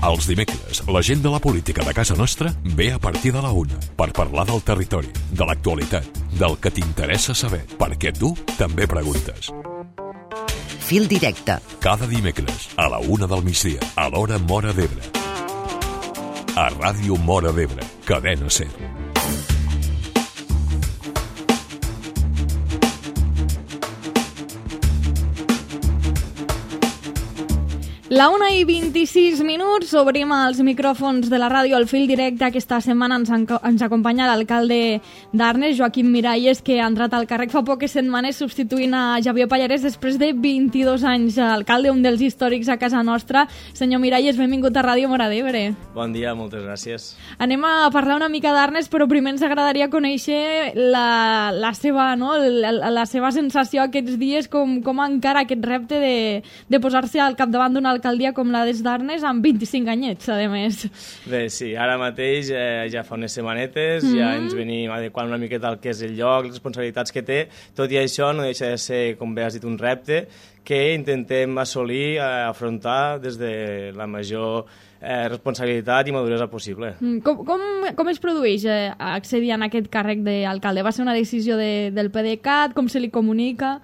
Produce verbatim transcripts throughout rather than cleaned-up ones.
Els dimecres, la gent de la política de casa nostra ve a partir de la una per parlar del territori, de l'actualitat, del que t'interessa saber, perquè tu també preguntes. Fil directe. Cada dimecres, a la una del migdia, a l'hora Móra d'Ebre. A Ràdio Móra d'Ebre, Cadena Ser. La una i vint-i-sis minuts, obrim els micròfons de la ràdio al fil directe. Aquesta setmana ens, ens acompanya l'alcalde d'Arnes, Joaquim Miralles, que ha entrat al càrrec fa poques setmanes substituint a Xavier Pallarès després de vint-i-dos anys. Alcalde, un dels històrics a casa nostra. Senyor Miralles, benvingut a Ràdio Móra d'Ebre. Bon dia, moltes gràcies. Anem a parlar una mica d'Arnes, però primer ens agradaria conèixer la, la, seva, no? la, la seva sensació aquests dies, com, com encara aquest repte de, de posar-se al capdavant d'una alcaldia com la des d'Arnes amb vint-i-cinc anyets, a més. Bé, sí, ara mateix eh, ja fa unes setmanetes, mm-hmm. ja ens venim adequant una miqueta al que és el lloc, les responsabilitats que té. Tot i això no deixa de ser, com bé has dit, un repte que intentem assolir, eh, afrontar des de la major eh, responsabilitat i maduresa possible. Com, com, com es produeix eh, accedir a aquest càrrec d'alcalde? Va ser una decisió de, del PDeCAT? Com se li comunica?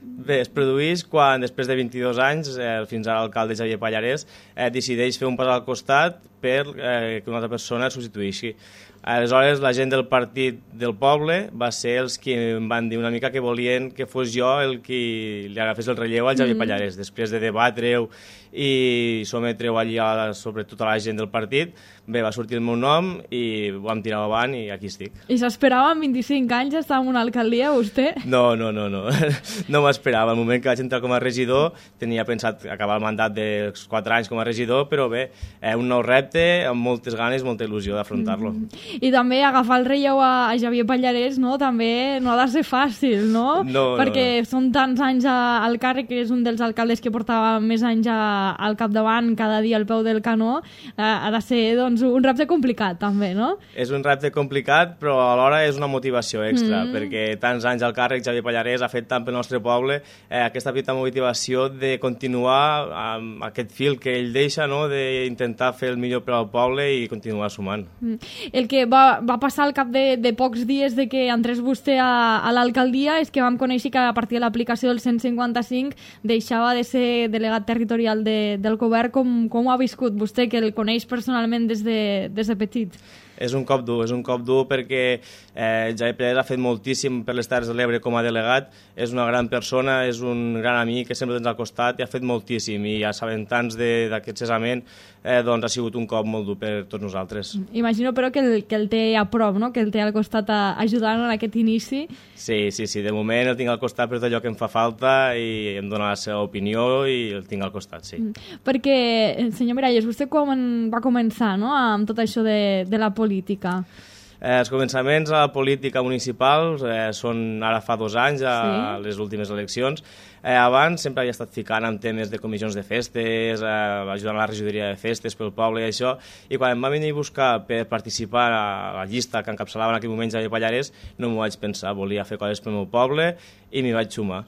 Bé, es produeix quan, després de vint-i-dos anys, eh, fins ara l'alcalde Xavier Pallarès eh, decideix fer un pas al costat per eh, que una altra persona el substitueixi. Aleshores, la gent del partit del poble va ser els que em van dir una mica que volien que fos jo el que li agafés el relleu al Xavier mm-hmm. Pallarès. Després de debatre-ho i sometre-ho allí a la, sobre tota la gent del partit, bé, va sortir el meu nom i ho vam tirar avant i aquí estic. I s'esperava amb vint-i-cinc anys estar en una alcaldia, vostè? No, no, no, no. No m'esperava. Al moment que vaig entrar com a regidor tenia pensat acabar el mandat dels quatre anys com a regidor, però bé, eh, un nou repte amb moltes ganes, molta il·lusió d'afrontar-lo. Mm. I també agafar el relleu a, a Xavier Pallarès, no? També no ha de ser fàcil, no? No, perquè no, no. són tants anys a, al càrrec, que és un dels alcaldes que portava més anys a, al capdavant, cada dia al peu del canó. Eh, ha de ser, doncs, un repte complicat, també, no? És un repte complicat, però alhora és una motivació extra, mm. perquè tants anys al càrrec Xavier Pallarès ha fet tant pel nostre poble, eh, aquesta petita motivació de continuar amb aquest fil que ell deixa, no?, d'intentar fer el millor per al poble i continuar sumant. Mm. El que va, va passar al cap de, de pocs dies de que entrés vostè a, a l'alcaldia és que vam conèixer que a partir de l'aplicació del cent cinquanta-cinc deixava de ser delegat territorial de, del govern. Com, com ho ha viscut vostè, que el coneix personalment des de, des de petit? És un cop dur, és un cop dur perquè eh, Xavier Pallarès ha fet moltíssim per les Terres de l'Ebre com a delegat, és una gran persona, és un gran amic que sempre tens al costat i ha fet moltíssim, i assabentar-nos d'aquest cessament eh, doncs ha sigut un cop molt dur per tots nosaltres. Imagino però que el, que el té a prop, no?, que el té al costat a, ajudant en aquest inici. Sí, sí, sí, de moment el tinc al costat per tot allò que em fa falta i em dona la seva opinió i el tinc al costat, sí. Perquè, senyor Miralles, vostè com va començar, no?, amb tot això de, de la política? política? Eh, els començaments a la política municipal eh, són ara fa dos anys, a sí. les últimes eleccions. Eh, abans sempre havia estat ficant en temes de comissions de festes, eh, ajudant a la regidoria de festes pel poble i això, i quan em va venir a buscar per participar a la llista que encapçalava en aquell moment Xavier Pallarès, no m'ho vaig pensar, volia fer coses pel meu poble i m'hi vaig sumar.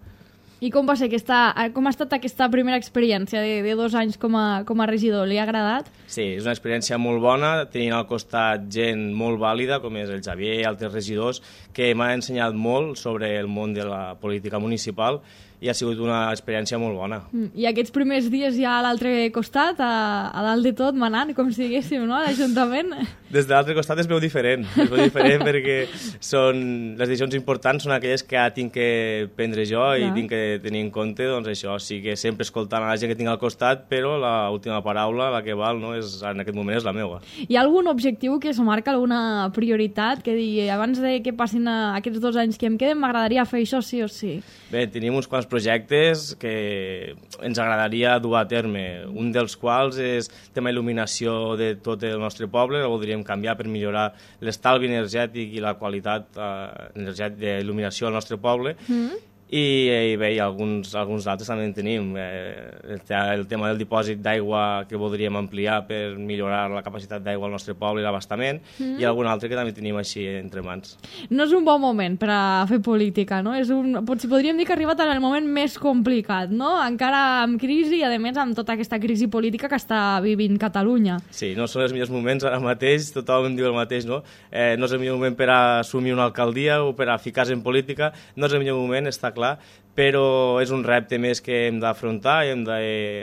I com va ser aquesta, com ha estat aquesta primera experiència de, de dos anys com a, com a regidor? Li ha agradat? Sí, és una experiència molt bona, tenint al costat gent molt vàlida, com és el Xavier i altres regidors, que m'han ensenyat molt sobre el món de la política municipal i ha sigut una experiència molt bona. I aquests primers dies ja a l'altre costat, a, a dalt de tot, manant, com si diguéssim, no?, a l'Ajuntament? Des de l'altre costat es veu diferent, es veu diferent perquè són, les decisions importants són aquelles que tinc que prendre jo i tinc que tenir en compte, doncs això, sí que sempre escoltant a la gent que tinc al costat, però l'última paraula, la que val, no, és, en aquest moment és la meva. Hi ha algun objectiu que es marca, alguna prioritat, que digui, abans de que passin aquests dos anys que em queden, m'agradaria fer això sí o sí? Bé, tenim uns quants projectes que ens agradaria dur a terme, un dels quals és el tema il·luminació de tot el nostre poble, el voldríem canviar per millorar l'estalvi energètic i la qualitat eh, energètica d'il·luminació al nostre poble, mm. I, i bé, i alguns, alguns altres també en tenim. Eh, el, el tema del dipòsit d'aigua que voldríem ampliar per millorar la capacitat d'aigua al nostre poble i l'abastament, mm. i algun altre que també tenim així entre mans. No és un bon moment per a fer política, no? És un, potser podríem dir que ha arribat en el moment més complicat, no? Encara amb crisi i, a més, amb tota aquesta crisi política que està vivint Catalunya. Sí, no són els millors moments ara mateix, tothom em diu el mateix, no? Eh, no és el millor moment per a assumir una alcaldia o per a ficar-se en política, no és el millor moment, està clar, però és un repte més que hem d'afrontar i hem de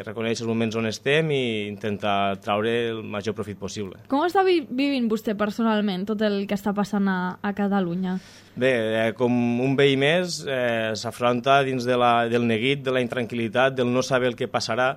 reconèixer els moments on estem i intentar traure el major profit possible. Com està vi vivint vostè personalment tot el que està passant a, a Catalunya? Bé, eh, com un veí més, eh, s'afronta dins de la, del neguit, de la intranquil·litat, del no saber el que passarà,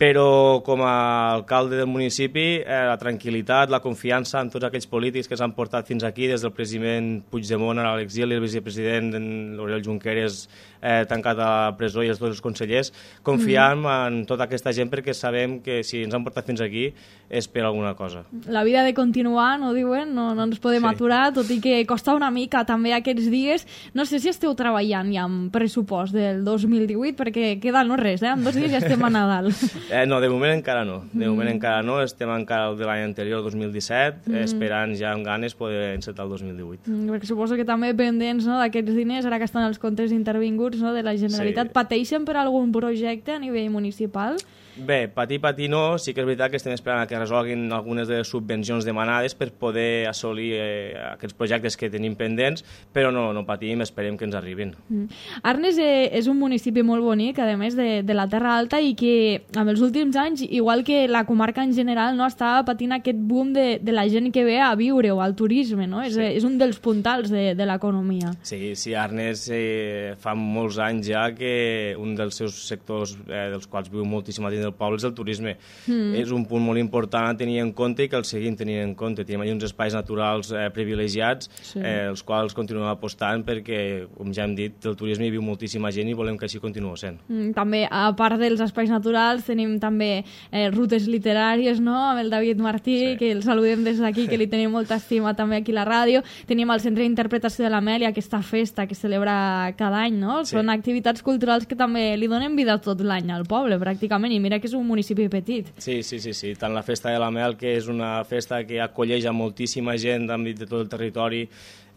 però com a alcalde del municipi, eh, la tranquil·litat, la confiança en tots aquells polítics que s'han portat fins aquí, des del president Puigdemont a l'exili, el vicepresident l'Oriol Junqueras eh, tancat a la presó i els dos consellers, confiam mm. en tota aquesta gent perquè sabem que si ens han portat fins aquí és per alguna cosa. La vida ha de continuar, no diuen? No, no ens podem sí. aturar, tot i que costa una mica també aquests dies. No sé si esteu treballant ja amb pressupost del dos mil divuit, perquè queda no res, eh? En dos dies ja estem a Nadal. Eh, no, de moment encara no. De moment mm. encara no. Estem encara el de l'any anterior, el dos mil disset, mm. esperant ja amb ganes poder encetar el dos mil divuit. Mm, perquè suposo que també pendents, no, d'aquests diners, ara que estan els comptes intervinguts, no, de la Generalitat, sí. pateixen per algun projecte a nivell municipal? Bé, patir, patir no. Sí que és veritat que estem esperant que resolguin algunes de les subvencions demanades per poder assolir eh, aquests projectes que tenim pendents, però no, no patim, esperem que ens arribin. Mm. Arnes eh, és un municipi molt bonic, a més de, de la Terra Alta, i que amb els últims anys, igual que la comarca en general, no està patint aquest boom de, de la gent que ve a viure o al turisme, no? És, sí. és un dels puntals de, de l'economia. Sí, sí, Arnes eh, fa molts anys ja que un dels seus sectors eh, dels quals viu moltíssima gent del poble és el turisme. Mm. És un punt molt important a tenir en compte i que el seguim tenint en compte. Tenim allà uns espais naturals eh, privilegiats, sí. eh, els quals continuem apostant perquè, com ja hem dit, del turisme hi viu moltíssima gent i volem que així continuï sent. Mm, també, a part dels espais naturals, tenim també eh, rutes literàries, no?, amb el David Martí, sí. que el saludem des d'aquí, que li tenim molta estima també aquí a la ràdio. Tenim el Centre d'Interpretació de l'Amèlia, aquesta festa que celebra cada any, no? Sí. Són activitats culturals que també li donen vida tot l'any al poble, pràcticament, i mira que és un municipi petit. Sí, sí, sí, sí. Tant la Festa de la Mel, que és una festa que acolleix a moltíssima gent d'àmbit de tot el territori,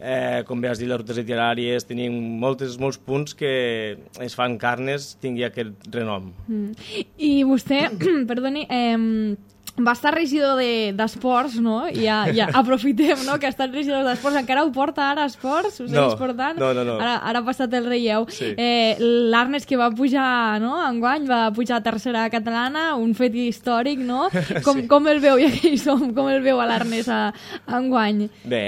eh, com bé has dit, les rutes literàries, tenim moltes, molts punts que es fan que Arnes tingui aquest renom. Mm. I vostè, perdoni, eh, va estar regidor d'esports, no? I ja, ja aprofitem, no?, que ha estat regidor d'esports. Encara ho porta ara, esports? Ho no, portant? no, no, no. Ara, ara ha passat el relleu. Sí. Eh, L'Arnes, que va pujar, no?, enguany, va pujar a tercera catalana, un fet històric, no? Com, sí. com el veu, ja que hi som, com el veu a l'Arnes enguany? Bé,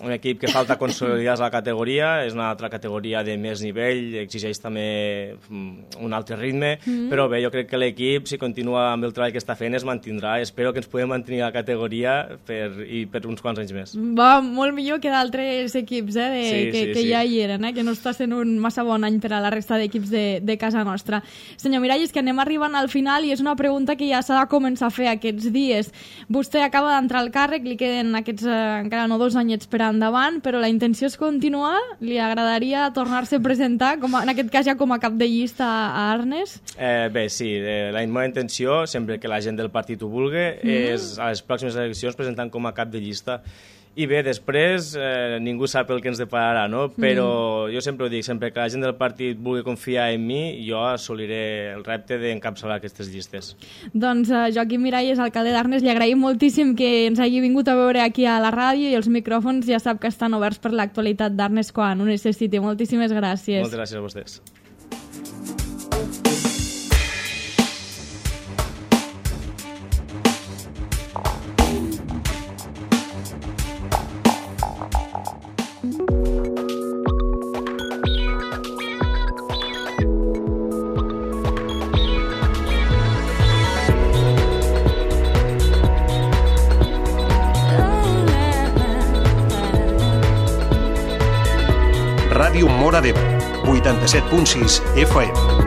un equip que falta consolidar la categoria, és una altra categoria de més nivell, exigeix també un altre ritme, mm. però bé, jo crec que l'equip, si continua amb el treball que està fent, es mantindrà. Espero que ens puguem mantenir a la categoria per, i per uns quants anys més. Va, molt millor que d'altres equips, eh, de, sí, que, sí, que sí. ja hi eren, eh, que no està sent un massa bon any per a la resta d'equips de, de casa nostra. Senyor Miralles, que anem arribant al final i és una pregunta que ja s'ha de començar a fer aquests dies. Vostè acaba d'entrar al càrrec, li queden aquests eh, encara no dos anyets per endavant, però la intenció és continuar? Li agradaria tornar-se a presentar, com a, en aquest cas ja com a cap de llista a Arnes? Eh, bé, sí, eh, la meva intenció, sempre que la gent del partit ho vulgui, mm. és a les pròximes eleccions presentant com a cap de llista. I bé, després eh, ningú sap el que ens depararà, no? Però mm. jo sempre ho dic, sempre que la gent del partit vulgui confiar en mi, jo assoliré el repte d'encapçalar aquestes llistes. Doncs uh, Joaquim Miralles, alcalde d'Arnes, li agraïm moltíssim que ens hagi vingut a veure aquí a la ràdio i els micròfons ja sap que estan oberts per l'actualitat d'Arnes quan ho necessiti. Moltíssimes gràcies. Moltes gràcies a vostès. Ràdio Móra d'Ebre, vuitanta-set punt sis F M.